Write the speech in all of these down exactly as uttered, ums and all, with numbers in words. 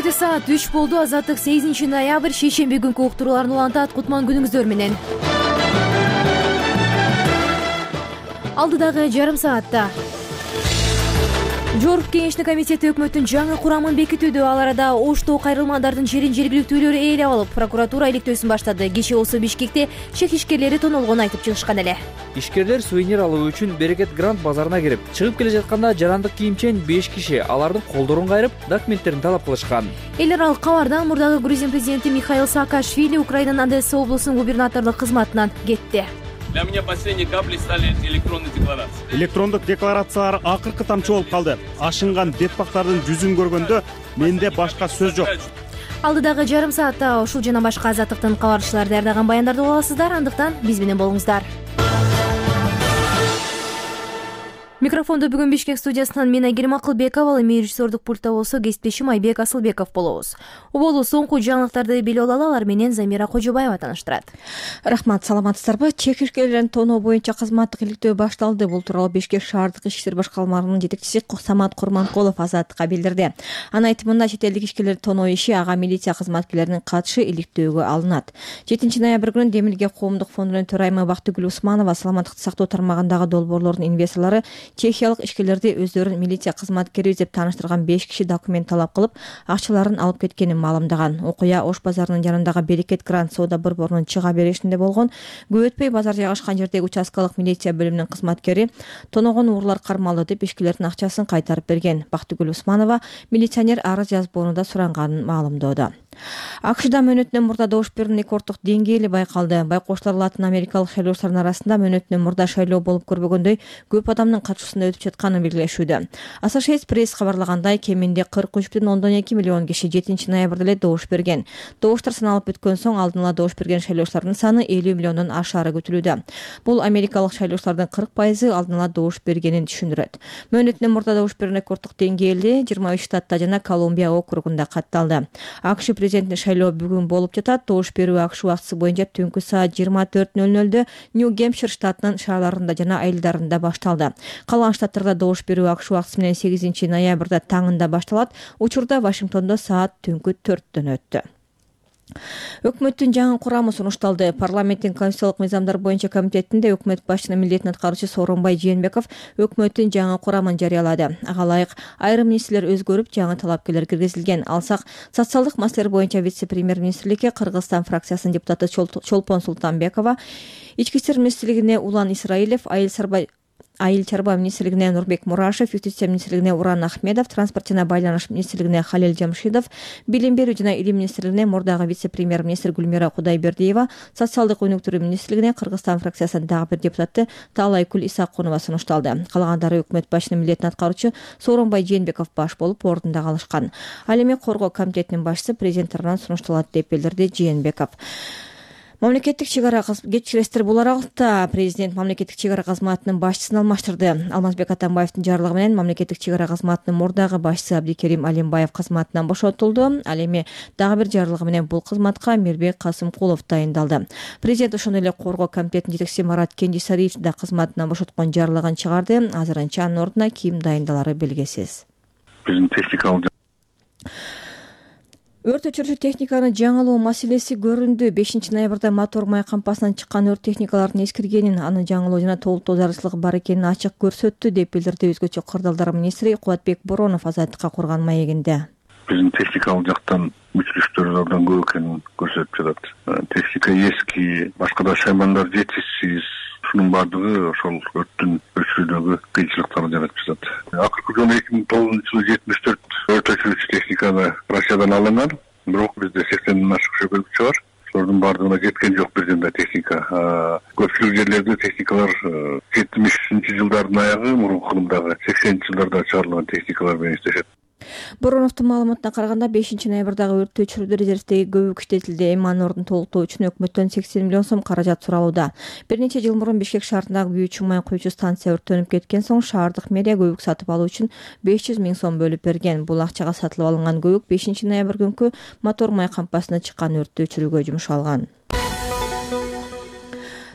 Кечеде саат үч болду. Азаттык сегизинчи ноябрь шейшемби күнкү уктурууларын улантат. Кутман күнүңүздөр менен. Алдыдагы жарым саатта Жогорку кеңештин комитети өкмөттүн жаңы курамын бекитүүдө. Ал арада Оштоо кайрылмандардын жерин жергиликтүүлөр ээлеп алып, прокуратура иликтөөсүн баштады. Кечээ болсо Бишкекте чек ишкерлери тонолгонун айтып чыгышкан эле. Ишкерлер сувенир алуу үчүн Берекет Грант базарына кирип, чыгып келе жатканда жарандык кийимчен беш киши алардын колдорун кайрып, документтерин талап кылышкан. Эл аралык кабардан мурдагы Грузин президенти Михаил Саакашвили Украинанын Одесса облусунун губернаторлук кызматынан кетти. Для меня последней каплей стали электронные декларации. Электрондук декларациялар акыркы тамчы болуп калды. Ашынган детпактардын жүзүн көргөндө менде башка сөз жок. Алдыдагы жарым саатта ушул жана башка азаттыктын кабарчылары даярдаган баяндарды уга аласыздар. Андыктан биз менен болуңуздар. Микрофондо бүгүн Бишкек студиясынан мен Айгерим Акылбекова, эми режиссердук пультта болсо кесиптешим Айбек Асылбеков болобуз. Уболу соңку жаңылыктарды билип алалы, алар менен Замира Кожобаева тааныштырат. Рахмат, саламатсыздарбы? Чек ишкерлерин тоноо боюнча кызматтык иликтөө башталды. Бул тууралуу Бишкек шаардык ички иштер башкармаларынын жетекчиси Самат Курманкулов азаттыкка билдирди. Анын айтымында чет элдик ишкерлерди тоноо иши ага милиция кызматкерлеринин катышы иликтөөгө алынат. жетинчи ноябрь күнү Демилге коомдук фондунун төрайымы Бактыгүл Усманова саламаттыкты сактоо тармагындагы долбоорлордун инвесторлору чехиялык ишкерлерди өздөрүн милиция кызматкери деп тааныштырган беш киши документ талап кылып, акчаларын алып кеткенин маалымдаган. Окуя Ош базарынын жанындагы Берекет Грант соода борборунун чыга беришинде болгон. Көп өтпөй базар жайгашкан жердеги участкалык милиция бөлүмүнүн кызматкери тоногон уурлар кармалды деп ишкерлердин акчасын кайтарып берген. Бактыгүл Усманова милиционер арыз жазбоону да суранганын маалымдоодо. АКШда мөөнөтүнөн мурда добуш берүүнүн рекорддук деңгээли байкалды. Байкоштор латын америкалык шайлоочулардын арасында мөөнөтүнөн мурда шайлоо болуп көрбөгөндөй көп адамдын катышуусунда өтүп жатканын белгилешүүдө. Associated Press кабарлагандай, кеминде кырк үч бүтүн ондон эки миллион киши жетинчи ноябрда эле добуш берген. Добуштар саналып бүткөн соң алдын ала добуш берген шайлоочулардын саны элүү миллиондон ашаары күтүлүүдө. Бул америкалык шайлоочулардын кырк пайызы алдын ала добуш бергенин түшүндүрөт. Мөөнөтүнөн мурда добуш берүүнүн рекорддук деңгээли жыйырма үч штатта жана Колумбия округунда катталды. АКШ президенттин шайлоо бүгүн болуп жатат. Добуш берүү АКШ убактысы боюнча түнкү саат жыйырма төрт нөл нөлдө Нью-Гэмпшир штатынын шаарларында жана айылдарында башталды. Калган штаттарда добуш берүү АКШ убактысы менен сегизинчи ноябрда таңында башталат. Учурда Вашингтондо саат түнкү төрттөн өттү. Өкмөттүн жаңы курамы сунушталды. Парламенттин конституциялык мыйзамдар боюнча комитетинде өкмөт башчынын милдетин аткаруучу Сооронбай Жээнбеков өкмөттүн жаңы курамын жарыялады. Ага ылайык айрым министрлер өзгөрүп, жаңы талапкерлер киргизилген. Алсак, социалдык маселелер боюнча вице-премьер-министрликке Кыргызстан фракциясынын депутаты Чолпон Султанбекова, ички иштер министрлигине Улан Исраилев, айыл сарбай Айыл чарба министрлигине Нурбек Мурашев, юстиция министрлигине Уран Ахмедов, транспорт жана байланыш министрлигине Халил Жамшидов, билим берүү жана илим министрлигине мурдагы вице-премьер-министр Гүлмира Кудайбердиева, социалдык өнүктүрүү министрлигине Кыргызстан фракциясынын дагы бир депутаты Таалайкүл Исакунова сунушталды. Калгандары өкмөт башчынын милдетин аткаруучу Сооронбай Жээнбеков баш болуп ордунда калышкан. Ал эми коргоо комитетинин башчысы президент тарабынан сунушталат деп билдирди Жээнбеков. Мамлекеттик чек ара кечиресиздер бул аралыкта президент мамлекеттик чек ара кызматынын башчысын алмаштырды. Алмазбек Атамбаевдин жарлыгы менен мамлекеттик чек ара кызматынын мурдагы башчысы Абдикерим Алимбаев кызматынан бошотулду. Ал эми дагы бир жарлыгы менен бул кызматка Мирбек Касымкулов дайындалды. Президент ошондой эле коргоо комитетинин жетекчиси Марат Кенжесариевди да кызматынан бошоткон жарлыгын чыгарды. Азырынча анын ордуна ким дайындалары белгисиз. Биздин техникалык Өрт өчүрүүчү техниканын жаңылоо маселеси көрүндү. бешинчи ноябрда мотор май кампасынан чыккан өрт техникалардын эскиргенин, анын жаңылоо жана толуктоо зарылчылыгы бар экенин ачык көрсөттү деп билдирди өзгөчө кырдаалдар министри Кубатбек Боронов азаттыкка курган маегинде. Биздин техникалык жактан өчүрүштөр абдан көп экенин көрсөтүп жатат. Техника эски, башка да шаймандар жетишсиз. Шунун баардыгы ошол өрттүн өчүрүүдөгү кыйынчылыктарды жаратып жатат. Акыркы жолу эки миң тогузунчу жылы жетимиш төрт өрт өчүрүүчү техниканы Россиядан алынган, бирок бизде сексенден ашык шөбөлгүчү бар. Ошолордун баардыгына жеткен жок бир жында техника. Көпчүлүк жерлерде техникалар жетимишинчи жылдардын аягы, мурунку кылымдагы сексенинчи жылдарда чыгарылган техникалар менен иштешет. Бороновдун маалыматына караганда бешинчи ноябрдагы өрттү өчүрүүдө резервдеги көбүк иштетилди. Эми анын ордун толуктоо үчүн өкмөттөн сексен миллион сом каражат суралууда. Бир нече жыл мурун Бишкек шаарындагы Бүү Чумай куючу станция өрттөнүп кеткен соң шаардык мэрия көбүк сатып алуу үчүн беш жүз миң сом бөлүп берген. Бул акчага сатылып алынган көбүк бешинчи ноябрь күнкү мотор май кампасына чыккан өрттү өчүрүүгө жумшалган.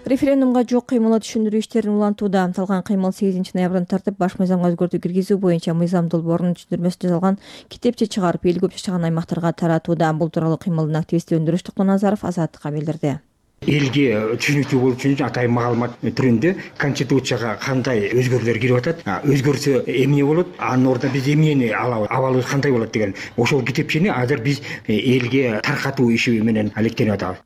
Референдумга жок кыймылы түшүндүрүү иштерин улантууда. Аталган кыймыл сегизинчи ноябрдан тартып баш мыйзамга өзгөртүү киргизүү боюнча мыйзам долбоорунун түшүндүрмөсү жазылган китепче чыгарып эл көп жашаган аймактарга таратууда. Бул тууралуу кыймылдын активисти Өндүрүш Токтоназаров Азаттыкка билдирди. Элге түшүнүктүү болуу үчүн атайын маалымат түрүндө конституцияга кандай өзгөрүүлөр кирип атат, өзгөрсө эмне болот, анын ордуна биз эмнени алабыз, абалыбыз кандай болот деген ошол китепчени азыр биз элге таркатуу иши менен алектенип атабыз.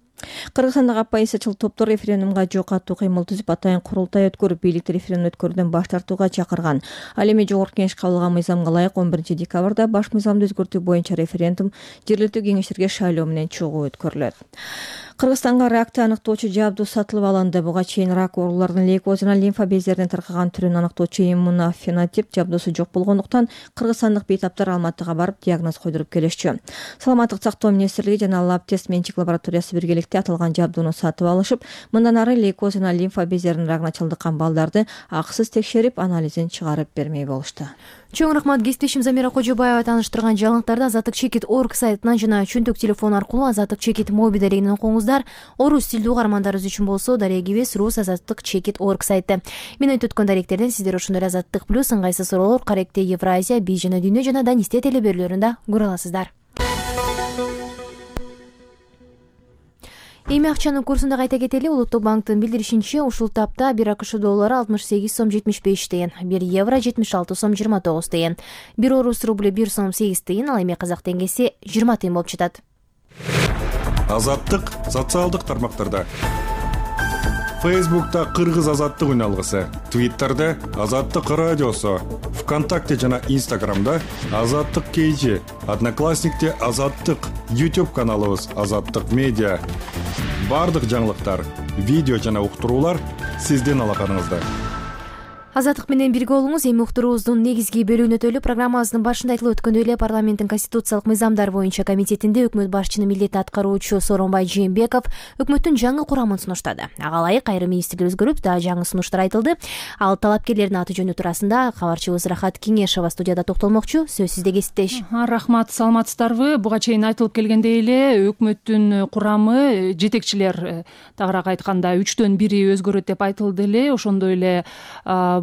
Кыргызстандагы оппозициячыл топтор референдумга жок аттуу кыймыл түзүп атайын курултай өткөрүп, бийликти референдум өткөрүүдөн баш тартууга чакырган. Ал эми жогорку кеңеш кабыл алган мыйзамга ылайык он биринчи декабрда баш мыйзамды өзгөртүү боюнча референдум жергиликтүү кеңештерге шайлоо менен чогуу өткөрүлөт. Кыргызстанга ракты аныктоочу жабдуу сатылып алынды. Буга чейин рак ооруларынын лейкоз жана лимфа бездеринин таркаган түрүн аныктоочу иммунофенотип жабдуусу жок болгондуктан кыргызстандык бейтаптар Алматыга барып диагноз койдуруп келишчү. Саламаттык сактоо министрлиги жана Лабтест менчик лабораториясы биргеликте аталган жабдууну сатып алышып, мындан ары лейкоз жана лимфа бездеринин рагына чалдыккан балдарды акысыз текшерип, анализин чыгарып бермей болушту. Чоң рахмат. Кесиптешим Замира Кожобаева тааныштырган жаңылыктарды Азаттык чекит точка орг сайтынан жана чөнтөк телефон аркылуу Азаттык чекит моби дарегинен окуңуздар. Орус тилдүү угармандарыбыз үчүн болсо дарегибиз рус Азаттык чекит точка орг сайты. Мен айтып өткөн даректерден сиздер ошондой Азаттык плюс ыңгайсыз суроолор, Каректе Евразия, Би жана Дүйнө жана Данисте телеберүүлөрүндө көрө аласыздар. Эми акчанын курсунда кайта кетели. Улуттук банктын билдиришинче, ушул тапта бир АКШ доллары алтымыш сегиз сом жетимиш беш тыйын, бир евро жетимиш алты сом жыйырма тогуз тыйын, бир орус рублю бир сом сегиз тыйын, ал эми казак теңгеси жыйырма тыйын болуп жатат. Азаттык социалдык тармактарда. Фейсбукта Кыргыз азаттык үн алгысы, Твиттерде Азаттык радиосу, ВКонтакте жана Инстаграмда Азаттык кейжи, Одноклассникте Азаттык, YouTube каналыбыз Азаттык медиа. Бардык жаңылыктар, видео жана уктуруулар сиздин алаканыңызда. Азаттык менен бирге болуңуз. Эми уктуруубуздун негизги бөлүгүнө өтөлүп, программабыздын башында айтылып өткөндөй эле парламенттин конституциялык мыйзамдар боюнча комитетинде өкмөт башчынын милдетин аткаруучу Сооронбай Жээнбеков өкмөттүн жаңы курамын сунуштады. Ага ылайык айрым министрлер өзгөрүп, да жаңы сунуштар айтылды. Ал талапкерлердин аты жөнү туурасында кабарчыбыз Рахат Кеңешова студияда токтолмокчу. Сөз сизде, кесиптеш. Рахмат, саламатсыздарбы? Буга чейин айтылып келгендей эле өкмөттүн курамы, жетекчилер тагыраак айтканда үчтөн бири өзгөрөт деп айтылды эле. Ошондой эле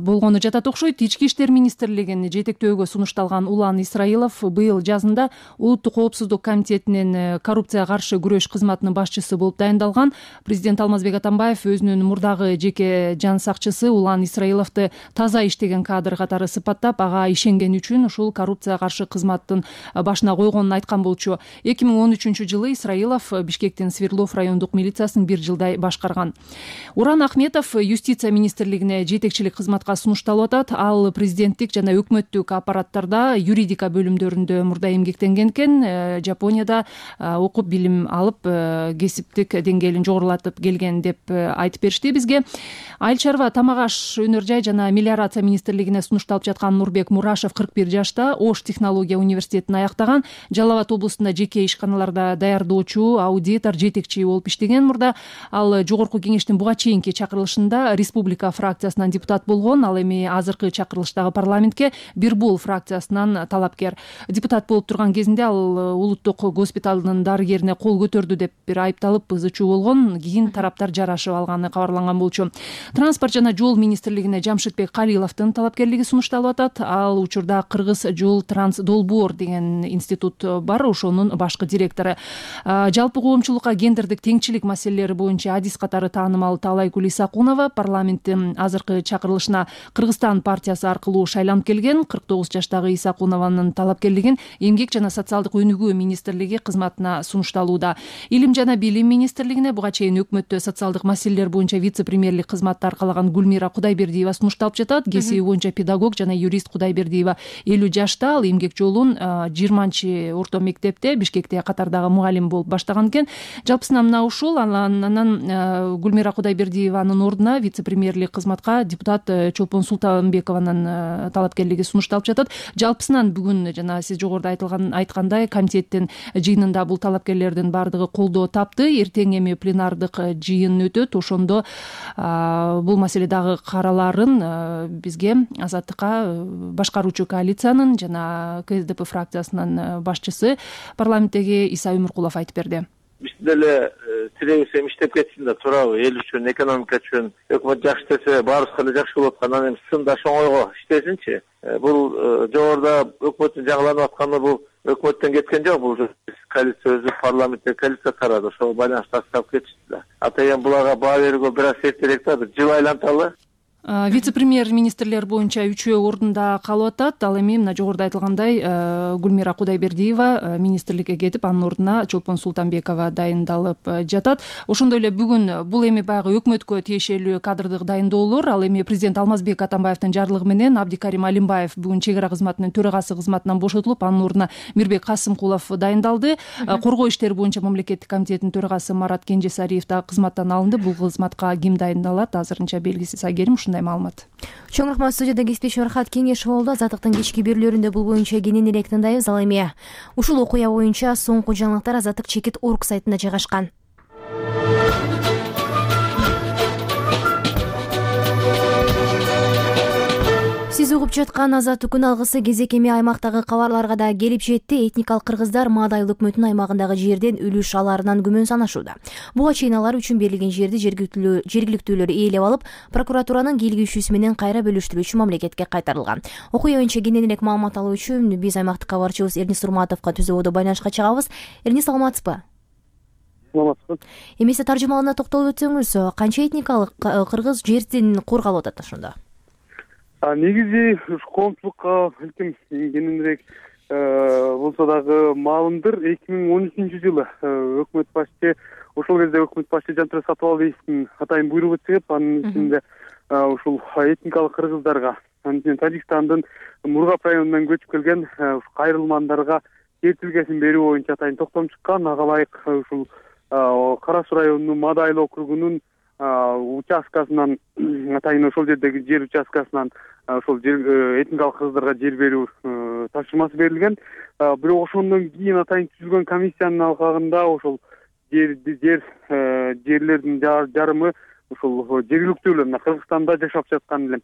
болгону жатат окшойт. Ички иштер министрлигин жетектөөгө сунушталган Улан Исраилов быйыл жазында Улуттук коопсуздук комитетинин коррупцияга каршы күрөш кызматынын башчысы болуп дайындалган. Президент Алмазбек Атамбаев өзүнүн мурдагы жеке жан сакчысы Улан Исраиловду таза иштеген кадр катары сыпаттап, ага ишенген үчүн ушул коррупцияга каршы кызматтын башына койгонун айткан болчу. эки миң он үчүнчү жылы Исраилов Бишкектин Свердлов райондук милициясын бир жылдай башкарган. Уран Ахметов юстиция министрлигине жетекчилик кызматка сунушталып атат. Ал президенттик жана өкмөттүк аппараттарда юридика бөлүмдөрүндө мурда эмгектенген экен. Жапонияда окуп билим алып, кесиптик деңгээлин жогорулатып келген деп айтып беришти бизге. Айыл чарба, тамак аш, өнөр жай жана мелиорация министрлигине сунушталып жаткан Нурбек Мурашев кырк бир жашта, Ош технология университетин аяктаган, Жалал Абад облусунда жеке ишканаларда даярдоочу, аудитор, жетекчи болуп иштеген мурда. Ал жогорку кеңештин буга чейинки чакырылышында республика фракциясынан депутат болгон. Ал эми азыркы чакырылыштагы парламентке Бирбул фракциясынан талапкер. Депутат болуп турган кезинде ал улуттук госпиталдын дарыгерине кол көтөрдү деп бир айыпталып ызы чуу болгон. Кийин тараптар жарашып алганы кабарланган болчу. Транспорт жана жол министрлигине Жамшитбек Калиловдун талапкерлиги сунушталып атат. Ал учурда Кыргыз жол транс долбоор деген институт бар, ошонун башкы директору. Жалпы коомчулукка гендердик теңчилик маселелери боюнча адис катары таанымал Таалайгүл Исакунова парламенттин азыркы чакырылышына Кыргызстан партиясы аркылуу шайланып келген. кырк тогуз жаштагы Исакунованын талапкерлигин Эмгек жана социалдык өнүгүү министрлиги кызматына сунушталууда. Илим жана билим министрлигине буга чейин өкмөттө социалдык маселелер боюнча вице-премьерлик кызматты аркалаган Гүлмира Кудайбердиева сунушталып жатат. Кесиби боюнча педагог жана юрист Кудайбердиева элүү жашта. Ал эмгек жолун жыйырманчы орто мектепте Бишкекте катардагы мугалим болуп баштаган экен. Жалпысынан мына ушул. Анан Гүлмира Кудайбердиеванын ордуна вице-премьерлик кызматка депутат Чолпон Султанбекованын талапкерлиги сунушталып жатат. Жалпысынан бүгүн жана сиз жогоруда айтылган айткандай комитеттин жыйынында бул талапкерлердин бардыгы колдоо тапты. Эртең эми пленардык жыйын өтөт. Ошондо бул маселе дагы караларын бизге Азаттыкка башкаруучу коалициянын жана КСДП фракциясынын башчысы парламенттеги Иса Өмүркулов айтып берди. биз деле тилегибиз эми иштеп кетсин да туурабы, эл үчүн, экономика үчүн өкмөт жакшы иштесе баарыбызга эле жакшы болот анан эми сындаш оңойго иштесинчи. Бул жогоруда өкмөттүн жаңыланып атканы бул өкмөттөн кеткен жок, бул коалиция өзү парламентте коалиция карады, ошого байланыштуу тастап кетишти да. Атайын буларга баа берүүгө бир аз эртерээк да, бир жыл айланталы. Вице-премьер министрлер боюнча үчөө ордунда калып атат. Ал эми мына жогоруда айтылгандай Гүлмира Кудайбердиева министрликке кетип, анын ордуна Чолпон Султанбекова дайындалып жатат. Ошондой эле бүгүн бул эми баягы өкмөткө тиешелүү кадрдык дайындоолор. Ал эми президент Алмазбек Атамбаевдин жарлыгы менен Абдикарим Алимбаев бүгүн чек ара кызматынын төрагасы кызматынан бошотулуп, анын ордуна Мирбек Касымкулов дайындалды. Коргоо иштери боюнча мамлекеттик комитеттин төрагасы Марат Кенжесариев да кызматтан алынды. Бул кызматка ким дайындалат азырынча белгисиз. Айгерим, маалымат. Чоң рахмат. Студияда кесипдешим Рахат Кеңешов болду. Азаттыктын кечки берүүлөрүндө бул боюнча кенен элек тыңдайбыз. Ал эми ушул окуя боюнча соңку жаңылыктар Азаттык чекит орг сайтында жайгашкан. Сиз угуп жаткан Азаттыктын алгысы кезек эми аймактагы кабарларга да келип жетти. Этникалык кыргыздар Маадайыл өкмөтүнүн аймагындагы жерден үлүш алаарынан күмөн санашууда. Буга чейин алар үчүн берилген жерди жергиликтүүлөр ээлеп алып, прокуратуранын кийлигишүүсү менен кайра бөлүштүрүүчү мамлекетке кайтарылган. Окуя боюнча кенен элек маалымат алуу үчүн биз аймактык кабарчыбыз Эрнис Урматовго түзөбодо байланышка чыгабыз. Эрнис, саламатсызбы? Саламатсызбы. Эмесе таржымалына токтолуп өтсөңүз, канча этникалык кыргыз жердин кургалып атат ошондо? Негизи ушу коомчулукка илким кененирээк болсо дагы маалымдыр. эки миң он үчүнчү жылы өкмөт башчы, ошол кезде өкмөт башчы Жантүрө Сатыбалдиевдин атайын буйругу чыгып, анын ичинде ушул этникалык кыргыздарга, анын ичинде Тажикстандын Мургап районунан көчүп келген кайрылмандарга жер тилкесин берүү боюнча атайын токтом чыккан. Ага ылайык ушул Кара Суу районунун Маадайыл округунун участкасынан, атайын ошол жердеги жер участкасынан ошол этникалык кыргыздарга жер берүү тапшырмасы берилген. Бирок ошондон кийин атайын түзүлгөн комиссиянын алкагында ошол жер жер жерлердин жарымы ошол жергиликтүүлөр, мына Кыргызстанда жашап жаткан эле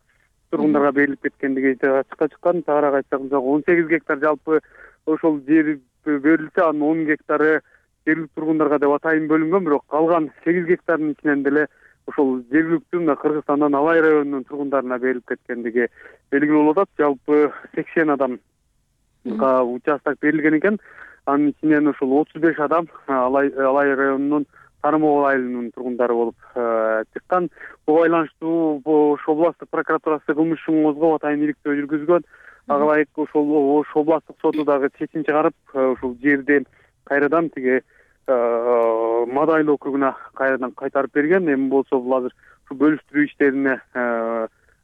тургундарга берилип кеткендиги ачыкка чыккан. Тагыраак айтсак, он сегиз гектар жалпы ошол жер берилсе, анын он гектары жергиликтүү тургундарга деп атайын бөлүнгөн, бирок калган сегиз гектардын ичинен деле ошол жергиликтүү мына Кыргызстандан Алай районунун тургундарына берилип кеткендиги белгилүү болуп атат. Жалпы сексен адамга участок берилген экен. Анын ичинен ошол отуз беш адам Алай районунун Тарымогул айылынын тургундары болуп чыккан. Буга байланыштуу Ош областтык прокуратурасы кылмыш ишин козгоп атайын иликтөө жүргүзгөн. Ага ылайык ошол Ош областтык соту дагы чечим чыгарып, ушул жерди кайрадан тиги Маадайыл округуна кайрадан кайтарып берген. Эми болсо бул азыр ушу бөлүштүрүү иштерине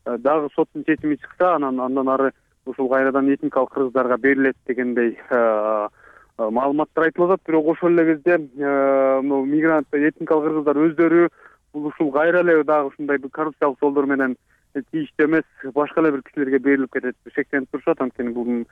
дагы соттун чечими чыкса, анан андан ары ушул кайрадан этникалык кыргыздарга берилет дегендей маалыматтар айтылып атат. Бирок ошол эле кезде мигрант этникалык кыргыздар өздөрү бул ушул кайра эле дагы ушундай бир коррупциялык жолдор менен тийиштүү эмес, башка эле бир кишилерге берилип кетет деп шектенип турушат. Анткени бул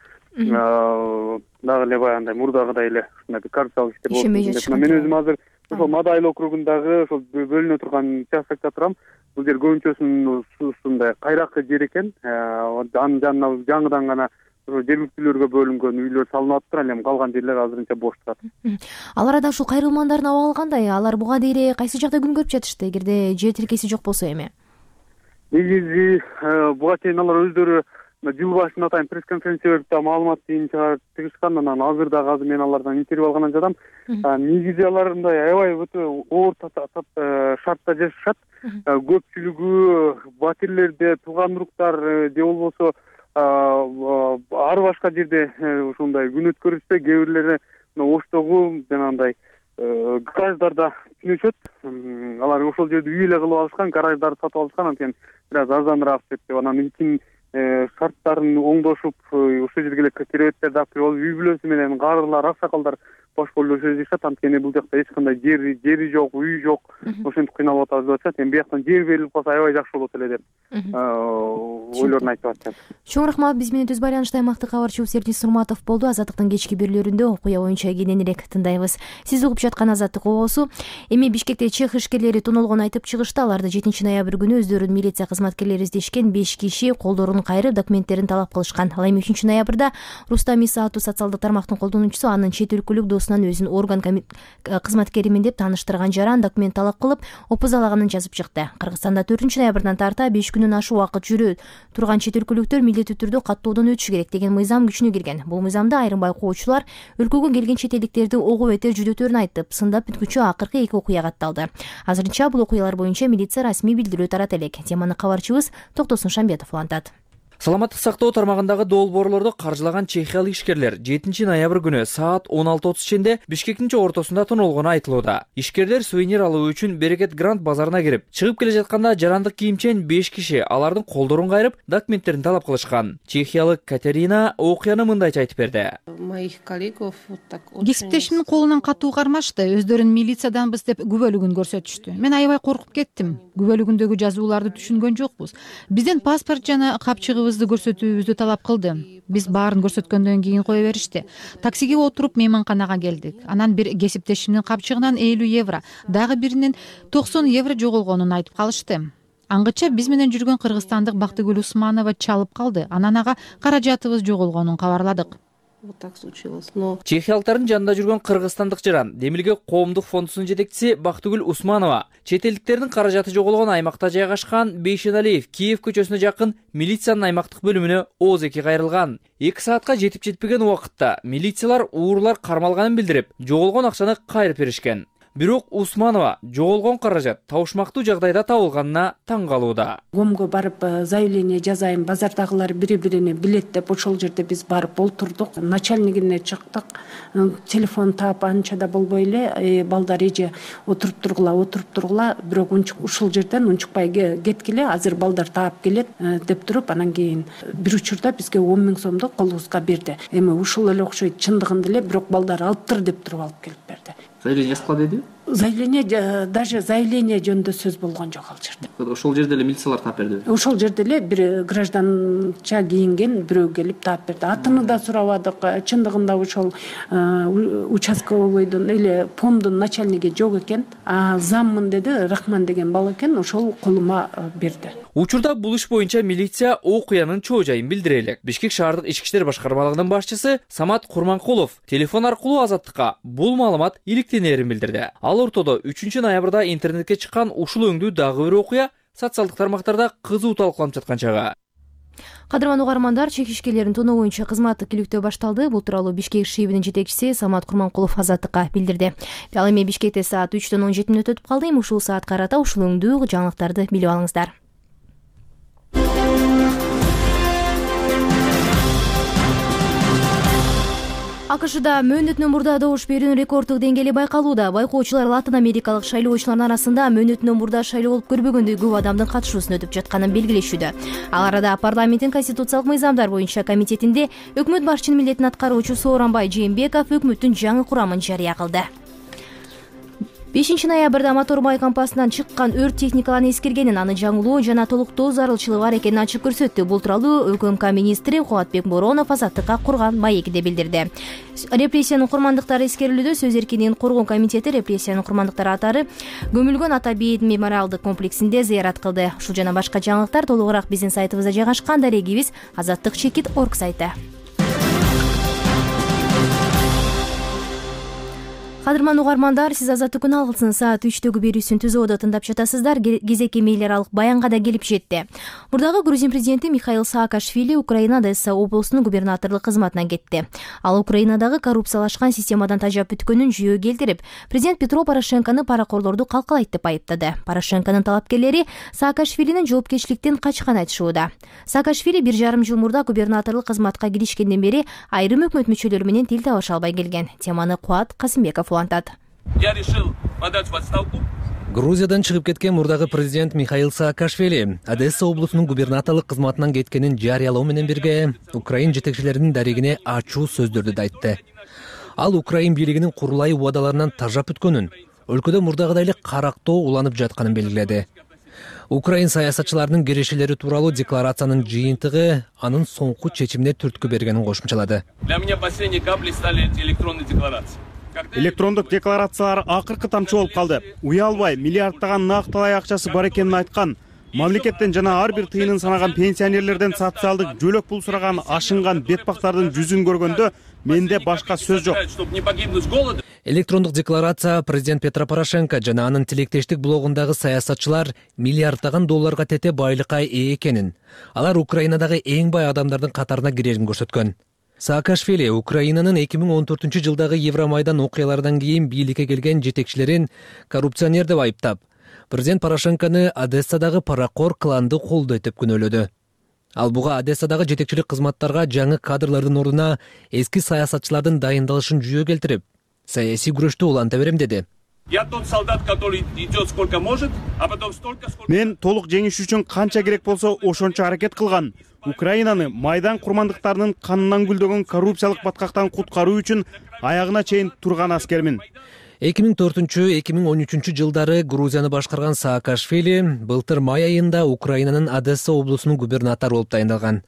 дагы эле баягындай мурдагыдай эле ушундай бир коррупциялык иштер болот. Мен өзүм азыр ошол Маадайыл округундагы ошол бөлүнө турган участокто турам. Бул жер көбүнчөсүнүн ушундай кайракы жер экен. Анын жанына жаңыдан гана жергиликтүүлөргө бөлүнгөн үйлөр салынып атыптыр. Ал эми калган жерлер азырынча бош турат. Ал арада ушул кайрылмандардын абалы кандай? Алар буга дейре кайсы жакта күн көрүп жатышты, эгерде жер тилкеси жок болсо эми? Негизи буга чейин алар өздөрү жыл башында атайын пресс-конференция берип да маалымат дейин чыгышкан. Анан азыр дагы азыр мен алардан интервью алгандан жатам. Негизи алар мындай аябай өтө оор шартта жашашат. Көпчүлүгү батирлерде тууган уруктар же болбосо ар башка жерде ушундай күн өткөрүшсө, кээ бирлери Оштогу жанагындай гараждарда түнөшөт. Алар ошол жерде үй эле кылып алышкан, гараждарды сатып алышкан, анткени бир аз арзаныраак деп. Анан ичин шарттарын оңдошуп, ошол жерге эле керебеттерди алып кирип алып, үй бүлөсү менен карылар, аксакалдар бош бойлоп жашашат. Анткени бул жакта эч кандай жери жери жок, үй жок. Ошентип кыйналып атабыз деп атышат. Эми бияктан жер берилип калса аябай жакшы болот эле деп ойлорун айтып атышат. Чоң рахмат. Биз менен түз байланышта аймактык кабарчыбыз Эрдис Нурматов болду. Азаттыктын кечки берүүлөрүндө окуя боюнча кененирээк тындайбыз. Сиз угуп жаткан Азаттык обосу. Эми Бишкекте чех ишкерлери тоноолгонун айтып чыгышты. Аларды жетинчи ноябрь күнү өздөрүнүн милиция кызматкерлери издешкен беш киши колдорун кайрып документтерин талап кылышкан. Ал эми үчүнчү ноябрда Рустам Иса аттуу социалдык тармактын колдонуучусу анын чет өлкөлүк досунан өзүн орган кызматкеримин деп тааныштырган жаран документ талап кылып опузалаганын жазып чыкты. Кыргызстанда төртүнчү ноябрдан тарта беш күнүн ашуун убакыт жүрө турган чет өлкөлүктөр милдеттүү түрдө каттоодон өтүшү керек деген мыйзам күчүнө кирген. Бул мыйзамда айрым байкоочулар өлкөгө келген чет элдиктерди ого бетер жүдөтөрүн айтып, сындап бүткүчө акыркы эки окуя катталды. Азырынча бул окуялар боюнча милиция расмий билдирүү тарата элек. Теманы кабарчыбыз Токтосун Шамбетов улантат. Саламаттык сактоо тармагындагы долбоорлорду каржылаган чехиялык ишкерлер жетинчи ноябрь күнү саат он алты отуз ченде Бишкектин ортосунда тоноолгону айтылууда. Ишкерлер сувенир алуу үчүн Берекет Грант базарына кирип, чыгып келе жатканда жарандык кийимчен беш киши алардын колдорун кайрып, документтерин талап кылышкан. Чехиялык Катерина окуяны мындайча айтып берди. Кесиптешимдин колунан катуу кармашты. Өздөрүн милициядамбыз деп күбөлүгүн көрсөтүштү. Мен аябай коркуп кеттим. Күбөлүгүндөгү жазууларды түшүнгөн жокпуз. Бизден паспорт жана капчыгыбызды көрсөтүүбүздү талап кылды. Биз баарын көрсөткөндөн кийин кое беришти. Таксиге отуруп мейманканага келдик. Анан бир кесиптешимдин капчыгынан элүү евро, дагы биринин токсон евро жоголгонун айтып калышты. Аңгыча биз менен жүргөн кыргызстандык Бактыгүл Усманова чалып калды. Анан ага каражатыбыз жоголгонун кабарладык. Чехиялыктардын жанында жүргөн кыргызстандык жаран Демилге коомдук фондусунун жетекчиси Бактыгүл Усманова чет элдиктердин каражаты жоголгон аймакта жайгашкан Бейшеналиев Киев көчөсүнө жакын милициянын аймактык бөлүмүнө ооз эки кайрылган. эки саатка жетип жетпеген убакытта милициялар уурулар кармалганын билдирип, жоголгон акчаны кайрып беришкен. Бирок Усманова жоголгон каражат табышмактуу жагдайда табылганына таң калууда. Комго барып заявление жазайын, базардагылар бири-бирине билет деп ошол жерде биз барып олтурдук. Начальнигине чыктык. Телефон таап анча да болбой эле, балдар эже отуруп тургула, отуруп тургула, бирок ушул жерден унчукпай кеткиле, азыр балдар таап келет деп туруп, анан кийин бир учурда бизге он миң сомду колубузга берди. Эми ушул эле окшойт, чындыгында эле, бирок балдар алыптыр деп туруп алып келип берди. Заявление жазып калды деди? Заявление, даже заявление жөнүндө сөз болгон жок ал жерде. Ошол жерде эле милициялар таап берди. Ошол жерде эле бир гражданча кийинген бирөө келип таап берди. Атын да сурабадык. Чындыгында ошол участковойдун эле помдун начальниги жок экен. А заммын деди, Рахман деген бала экен, ошол колума берди. Учурда бул иш боюнча милиция окуянын чоо жайын билдире элек. Бишкек шаардык ички иштер башкармалыгынын башчысы Самат Курманкулов телефон аркылуу Азаттыкка бул маалымат иликтенерин билдирди. Ал ортодо үчүнчү ноябрда интернетке чыккан ушул өңдүү дагы бир окуя социалдык тармактарда кызуу талкууланып жаткан чагы. Кадырман угармандар, чек ишкерлерин тоноо боюнча кызматтык иликтөө башталды. Бул тууралуу Бишкек шебинин жетекчиси Самат Курманкулов Азаттыкка билдирди. Ал эми Бишкекте саат үчтөн он жети мүнөт өтүп калды. Эми ушул саатка карата ушул өңдүү жаңылыктарды билип алыңыздар. АКШда мөөнөтүнөн мурда добуш берүүнүн рекорддук деңгээли байкалууда. Байкоочулар Латын Америкалык шайлоочулардын арасында мөөнөтүнөн мурда шайлоо болуп көрбөгөндөй көп адамдын катышуусун өтүп жатканын белгилешүүдө. Ал арада парламенттин конституциялык мыйзамдар боюнча комитетинде өкмөт башчынын милдетин аткаруучу Сооронбай Жээнбеков өкмөттүн жаңы курамын жарыя кылды. бешинчи ноябрда Моторбай компаниясынан чыккан өрт техникаларын эскергенин, аны жаңылоо жана толуктоо зарылчылыгы бар экенин ачык көрсөттү. Бул тууралуу ÖКМК министри Кубатбек Боронов Азаттыкка курган маекиде билдирди. Репрессиянын курмандыктары эскерилүүдө Сөз эркиндигин коргоо комитети репрессиянын курмандыктары атары көмүлгөн Ата Бейит мемориалдык комплексинде зыярат кылды. Ушул жана башка жаңылыктар толугураак биздин сайтыбызда жайгашкан. Дарегибиз азаттык чекит точка орг сайты. Кадырман угармандар, сиз Азаттыктын алгысынын саат үчтөгү берүүсүн түзөөдө тыңдап жатасыздар. Кезекке мейлер алык баянга да келип жетти. Мурдагы Грузин президенти Михаил Саакашвили Украина Одесса облусунун губернаторлук кызматына кетти. Ал Украинадагы коррупциялашкан системадан тажап бүткөнүн жүйө келтирип, президент Петро Порошенкону паракорлорду калкалайт деп айыптады. Порошенконун талапкерлери Саакашвилинин жоопкерчиликтен качкан айтышууда. Саакашвили бир жарым жыл мурда губернаторлук кызматка киришкенден бери айрым өкмөт мүчөлөрү менен тил табыша албай келген. Теманы Куат Касымбеков улантат. Я решил подать в отставку. Грузиядан чыгып кеткен мурдагы президент Михаил Саакашвили Одесса облусунун губернаторлук кызматынан кеткенин жарыялоо менен бирге Украин жетекчилеринин дарегине ачуу сөздөрдү да айтты. Ал Украин бийлигинин курулай убадаларынан тажап бүткөнүн, өлкөдө мурдагыдай эле карактоо уланып жатканын белгиледи. Украин саясатчыларынын кирешелери тууралуу декларациянын жыйынтыгы анын соңку чечимине түрткү бергенин кошумчалады. Для меня последней каплей стали эти электронные декларации. Электрондук декларациялар акыркы тамчы болуп калды. Уялбай миллиарддаган накталай акчасы бар экенин айткан. Мамлекеттен жана ар бир тыйынын санаган пенсионерлерден социалдык жөлөк пул сураган ашынган бетпактардын жүзүн көргөндө менде башка сөз жок. Электрондук декларация президент Петро Порошенко жана анын тилектештик блогундагы саясатчылар миллиарддаган долларга тете байлыкка ээ экенин, алар Украинадагы эң бай адамдардын катарына кирерин көрсөткөн. Саакашвили Украинанын эки миң он төртүнчү жылдагы Евромайдан окуяларынан кийин бийликке келген жетекчилерин коррупционер деп айыптап, президент Порошенкону Одессадагы паракор кланды колдойт деп күнөөлөдү. Ал буга Одессадагы жетекчилик кызматтарга жаңы кадрлардын ордуна эски саясатчылардын дайындалышын жүйө келтирип, саясий күрөштү уланта берем деди. Я тот солдат, который идет сколько может, а потом столько, сколько... Мен толук жеңиш үчүн канча керек болсо ошончо аракет кылган. Украинаны Майдан курмандыктарынын канынан гүлдөгөн коррупциялык баткактан куткаруу үчүн аягына чейин турган аскермин. эки миң төртүнчү — эки миң он үчүнчү жылдары Грузияны башкарган Саакашвили былтыр май айында Украинанын Одесса облусунун губернатору болуп дайындалган.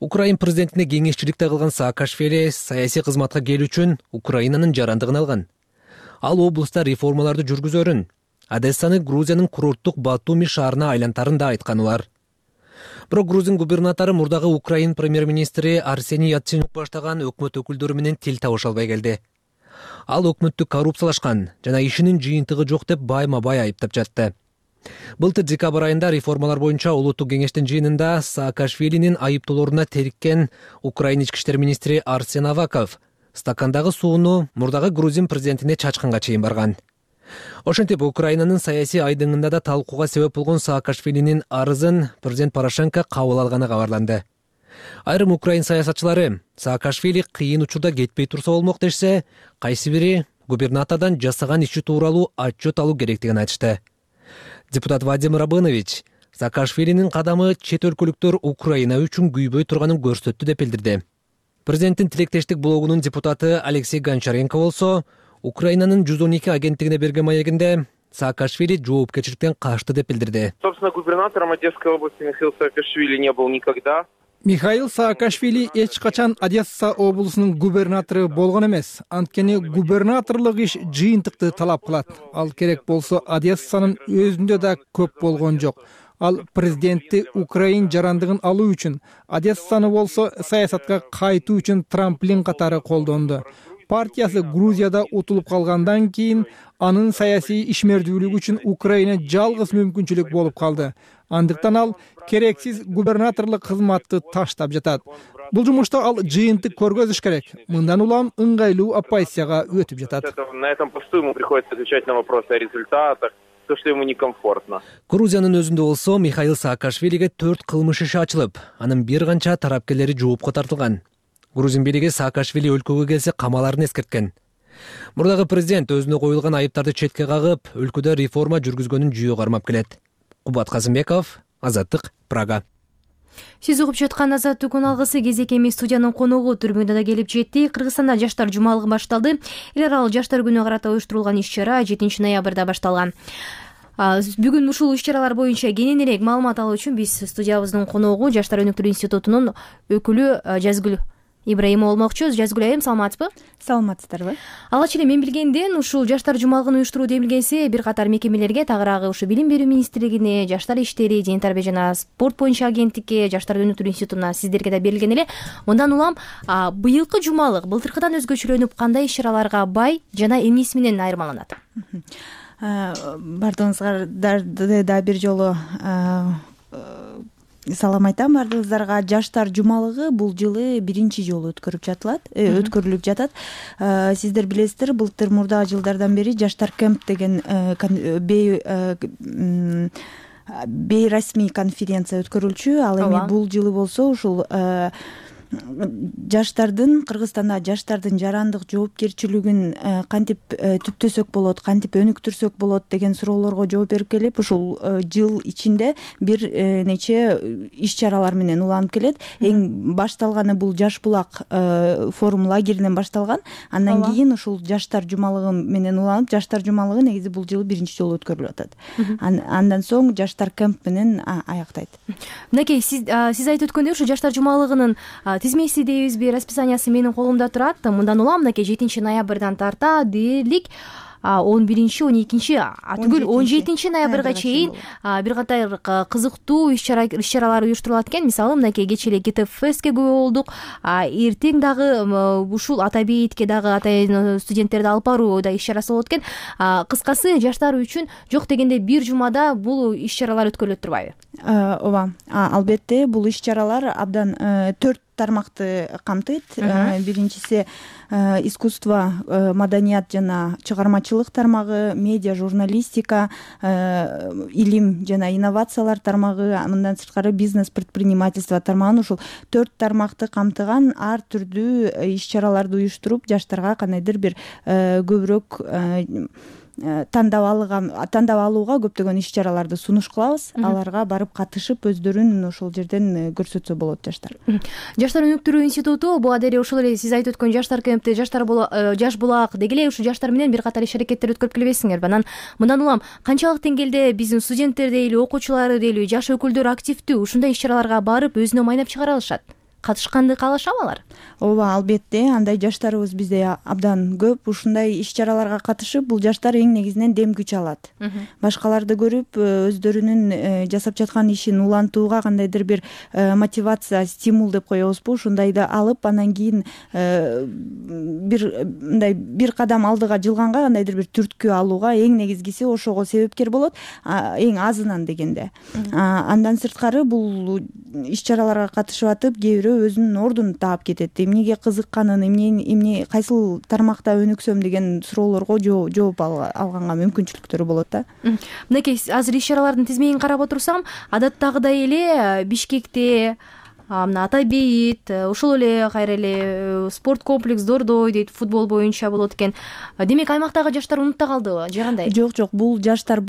Украин президентине кеңешчиликте кылган Саакашвили саясий кызматка келүү үчүн Украинанын жарандыгын алган. Ал облуста реформаларды жүргүзөрүн, Одессаны Грузиянын курорттук Батуми шаарына айлантарын да айткан улар. Бирок Грузин губернатору мурдагы Украин премьер-министри Арсений Яценюк баштаган өкмөт өкүлдөрү менен тил табыша албай келди. Ал өкмөттү коррупциялашкан жана ишинин жыйынтыгы жок деп байма-бай айыптап жатты. Былтыр декабрь айында реформалар боюнча улуттук кеңештин жыйынында Саакашвилинин айыптоолоруна териккен Украин ички иштер министри Арсен Аваков стакандагы сууну мурдагы Грузин президентине чачканга чейин барган. Ошентип Украинанын саясий айдыңында да талкууга себеп болгон Саакашвилинин арызын президент Порошенко кабыл алганы кабарланды. Айрым Украин саясатчылары Саакашвили кыйын учурда кетпей турса болмок дешсе, кайсы бири губернатордон жасаган иши тууралуу отчет алуу керектигин айтышты. Депутат Вадим Рабынович Саакашвилинин кадамы чет өлкөлүктөр Украина үчүн күйбөй турганын көрсөттү деп билдирди. Президенттин тилектештик блогунун депутаты Алексей Гончаренко болсо, Украинанын жүз он эки агенттигине берген маегинде Саакашвили жоопкерчиликтен качты деп билдирди. Собственно, губернатором Одесской области Михаил Саакашвили не был никогда. Михаил Саакашвили эч качан Одесса облусунун губернатору болгон эмес. Анткени губернаторлук иш жыйынтыкты талап кылат. Ал керек болсо Одессанын өзүндө да көп болгон жок. Ал президентти Украин жарандыгын алуу үчүн, Одессаны болсо саясатка кайтуу үчүн трамплин катары колдонду. Партиясы Грузияда утулуп калгандан кийин анын саясий ишмердүүлүгү үчүн Украина жалгыз мүмкүнчүлүк болуп калды. Андыктан ал керексиз губернаторлук кызматты таштап жатат. Бул жумушта ал жыйынтык көргөзүш керек. Мындан улам ыңгайлуу оппозицияга өтүп жатат. На этом посту ему приходится отвечать на вопросы о результатах, то, что ему некомфортно. Грузиянын өзүндө болсо Михаил Саакашвилиге төрт кылмыш иши ачылып, анын бир канча тарапкерлери жоопко тартылган. Грузин бийлиги Саакашвили өлкөгө келсе камаларын эскерткен. Мурдагы президент өзүнө коюлган айыптарды четке кагып, өлкөдө реформа жүргүзгөнүн жүйө кармап келет. Кубат Казымбеков, Азаттык, Прага. Сиз угуп жаткан Азаттыктын алгысы кезек эми студиянын коногу түрмөдө да келип жетти. Кыргызстанда жаштар жумалыгы башталды. Эл аралык жаштар күнүнө карата уюштурулган иш-чара жетинчи ноябрда башталган. Бүгүн ушул иш-чаралар боюнча кененирээк маалымат алуу үчүн биз студиябыздын коногу Жаштар өнүктүрүү институтунун өкүлү Жазгүл Ибраимова болмокчу. Жазгүл айым, саламатсызбы? Саламатсыздарбы? Алгач эле мен билгенден ушул жаштар жумалыгын уюштуруу демилгеси бир катар мекемелерге, тагыраагы ушу Билим берүү министрлигине, Жаштар иштери, Дене тарбия жана спорт боюнча агенттикке, Жаштар өнүктүрүү институтуна, сиздерге да берилген эле. Мындан улам быйылкы жумалык былтыркыдан өзгөчөлөнүп кандай иш-чараларга бай жана эмнеси менен айырмаланат? Бардыгыңыздарда да бир жолу салам айтам бардыгыңыздарга. Жаштар жумалыгы бул жылы биринчи жолу өткөрүп жатылат, өткөрүлүп жатат. Сиздер билесиздер, былтыр мурдагы жылдардан бери Жаштар кемп деген бейрасмий конференция өткөрүлчү. Ал эми бул жылы болсо ушул жаштардын Кыргызстанда жаштардын жарандык жоопкерчилигин кантип түптөсөк болот, кантип өнүктүрсөк болот деген суроолорго жооп берип келип, ушул жыл ичинде бир нече иш чаралар менен уланып келет. Эң башталганы бул Жаш булак форум лагеринен башталган. Андан кийин ушул жаштар жумалыгы менен уланып, жаштар жумалыгы негизи бул жылы биринчи жолу өткөрүлүп атат. Андан соң жаштар кемп менен аяктайт. Мынакей, сиз сиз айтып өткөндөй ушу жаштар жумалыгынын тизмеси дейбизби, расписаниясы менин колумда турат. Мындан улам мынакей жетинчи ноябрдан тарта дээрлик он биринчи он экинчи түгүл он жетинчи ноябрга чейин бир катар кызыктуу иш чаралар уюштурулат экен. Мисалы мынакей кечээ эле ГТФ фестке күбө болдук. Эртең дагы ушул ата бейитке дагы атайын студенттерди алып баруу иш чарасы болот экен. Кыскасы жаштар үчүн жок дегенде бир жумада бул иш чаралар өткөрүлөт турбайбы? Ооба, албетте бул иш чаралар абдан төрт тармакты камтыйт. Биринчиси искусство, маданият жана чыгармачылык тармагы, медиа, журналистика, илим жана инновациялар тармагы, мындан сырткары бизнес, предпринимательство тармагын ушул төрт тармакты камтыган ар түрдүү иш чараларды уюштуруп, жаштарга кандайдыр бир көбүрөөк тандап алууга тандап алууга көптөгөн иш чараларды сунуш кылабыз. Аларга барып катышып, өздөрүн ошол жерден көрсөтсө болот жаштар. Жаштар өнүктүрүү институту буга деле ушул эле сиз айтып өткөн жаштар кемпти, жаштар Жаш булак деги эле ушу жаштар менен бир катар иш аракеттер өткөрүп келбейсиңерби? Анан мындан улам канчалык деңгээлде биздин студенттер дейли, окуучулар дейли, жаш өкүлдөр активдүү ушундай иш чараларга барып өзүнө майнап чыгара алышат? Катышканды каалашабы алар? Ооба, албетте, андай жаштарыбыз бизде абдан көп. Ушундай иш чараларга катышып, бул жаштар эң негизинен дем күч алат. Башкаларды көрүп, өздөрүнүн жасап жаткан ишин улантууга кандайдыр бир мотивация, стимул деп коебузбу, ушундайды алып, анан кийин бир мындай бир кадам алдыга жылганга кандайдыр бир түрткү алууга эң негизгиси ошого себепкер болот, эң азынан дегенде. Андан сырткары бул иш чараларга катышып атып, кээ бирөө өзүнүн ордун таап кетет. Эмнеге кызыкканын, эмне эмне кайсыл тармакта өнүксөм деген суроолорго жооп алганга мүмкүнчүлүктөрү болот да. Мынакей, азыр иш чаралардын тизмегин карап отурсам, адаттагыдай эле Бишкекте мына ата бейит, ошол эле кайра эле спорт комплекс Дордой дейт, футбол боюнча болот экен. Демек аймактагы жаштар унутта калдыбы же кандай? Жок, жок, бул жаштар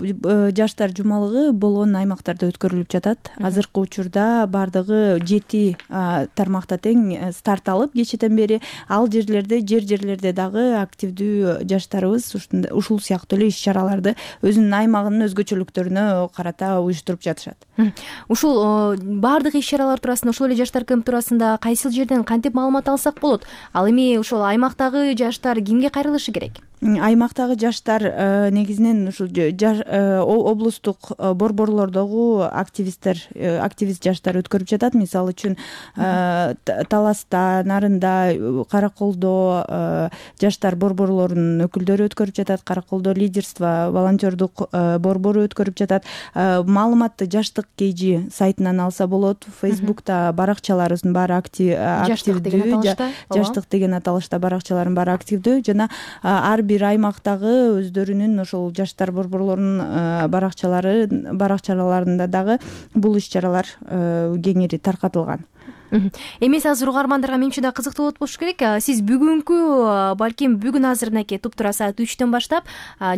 жаштар жумалыгы болгон аймактарда өткөрүлүп жатат. Азыркы учурда бардыгы жети тармакта тең старт алып кечээден бери ал жерлерде, жер жерлерде дагы активдүү жаштарыбыз ушул сыяктуу эле иш чараларды өзүнүн аймагынын өзгөчөлүктөрүнө карата уюштуруп жатышат. Ушул бардык иш чаралар туурасында, ушул жаштар кемп туурасында кайсыл жерден кантип маалымат алсак болот? Ал эми ошол аймактагы жаштар кимге кайрылышы керек? Аймактагы жаштар негизинен ушул облустук борборлордогу активисттер, активист жаштар өткөрүп жатат. Мисалы үчүн Таласта, Нарында, Караколдо жаштар борборлорунун өкүлдөрү өткөрүп жатат. Караколдо лидерство, волонтердук борбору өткөрүп жатат. Маалыматты Жаштык Кейжи сайтынан алса болот. Фейсбукта баракчаларыбыздын баары активдүү. Жаштык деген аталышта баракчалардын баары активдүү жана ар бир аймактагы өздөрүнүн ошол жаштар борборлорунун баракчалары баракчаларында дагы бул иш чаралар кеңири таркатылган. Эмес, азыр угармандарга менимче да кызыктуу болот болуш керек. Сиз бүгүнкү, балким бүгүн азыр мынакей туптура саат үчтөн баштап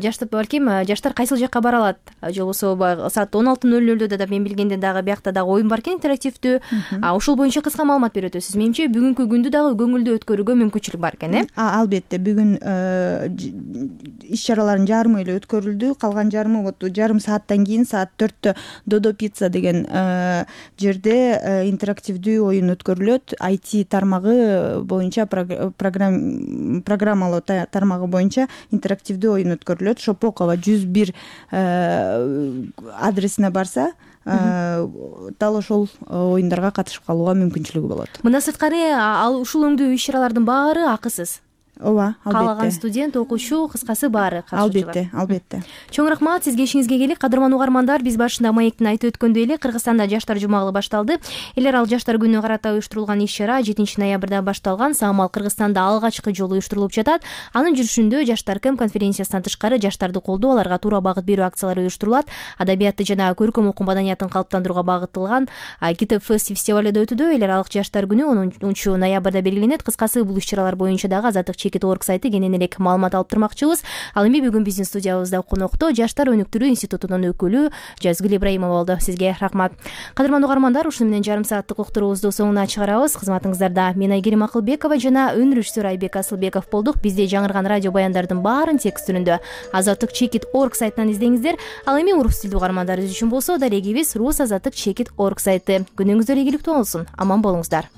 жаштар балким жаштар кайсыл жакка бара алат? Же болбосо саат он алты нөл нөлдө да мен билгенден дагы биякта дагы оюн бар экен, интерактивдүү. Ошол боюнча кыска маалымат берип өтөсүз. Менимче бүгүнкү күндү дагы көңүлдүү өткөрүүгө мүмкүнчүлүк бар экен, э? Албетте, бүгүн иш чаралардын жарымы эле өткөрүлдү. Калган жарымы вот жарым сааттан кийин саат төрттө Додо пицца деген жерде интерактивдүү оюн өткөрүлөт. ай ти тармагы боюнча, программалоо тармагы боюнча интерактивдүү оюн өткөрүлөт. Шопокова жүз бир адресине барса, дал ошол оюндарга катышып калууга мүмкүнчүлүгү болот. Мындан сырткары ал ушул өңдүү иш чаралардын баары акысыз. ооба, албетте. Каалаган студент, окуучу, кыскасы баары катышуучулар. Албетте, албетте. Чоң рахмат, сизге ишиңизге келик. Кадырман угармандар, биз башында маектин айтып өткөндөй эле Кыргызстанда жаштар жумагы башталды. Элер ал жаштар күнүнө карата уюштурулган иш-чара жетинчи ноябрда башталган. Самал Кыргызстанда алгачкы жолу уюштурулуп жатат. Анын жүрүшүндө жаштар кем конференциясынан тышкары жаштарды колдоо, аларга туура багыт берүү акциялары уюштурулат. Адабиятты жана көркөм окуу маданиятын калыптандырууга багытталган Китеп фест фестивали да өтүүдө. Эл аралык жаштар күнү онунчу ноябрда белгиленет. Кыскасы бул иш-чаралар боюнча дагы азаттык чекит точка орг сайты кенен элек маалымат алып турмакчыбыз. Ал эми бүгүн биздин студиябызда конокто жаштар өнүктүрүү институтунун өкүлү Жазгүл Ибраимова болду. Сизге рахмат. Кадырман угармандар, ушуну менен жарым сааттык уктуруубузду соңуна чыгарабыз. Кызматыңыздарда мен Айгерим Акылбекова жана өн режиссер Айбек Асылбеков болдук. Бизде жаңырган радио баяндардын баарын текст түрүндө азаттык чекит точка орг сайтынан издеңиздер. Ал эми орус тилдүү угармандарыбыз үчүн болсо дарегибиз рус азаттык чекит точка орг сайты. Күнүңүздөр ийгиликтүү болсун. Аман болуңуздар.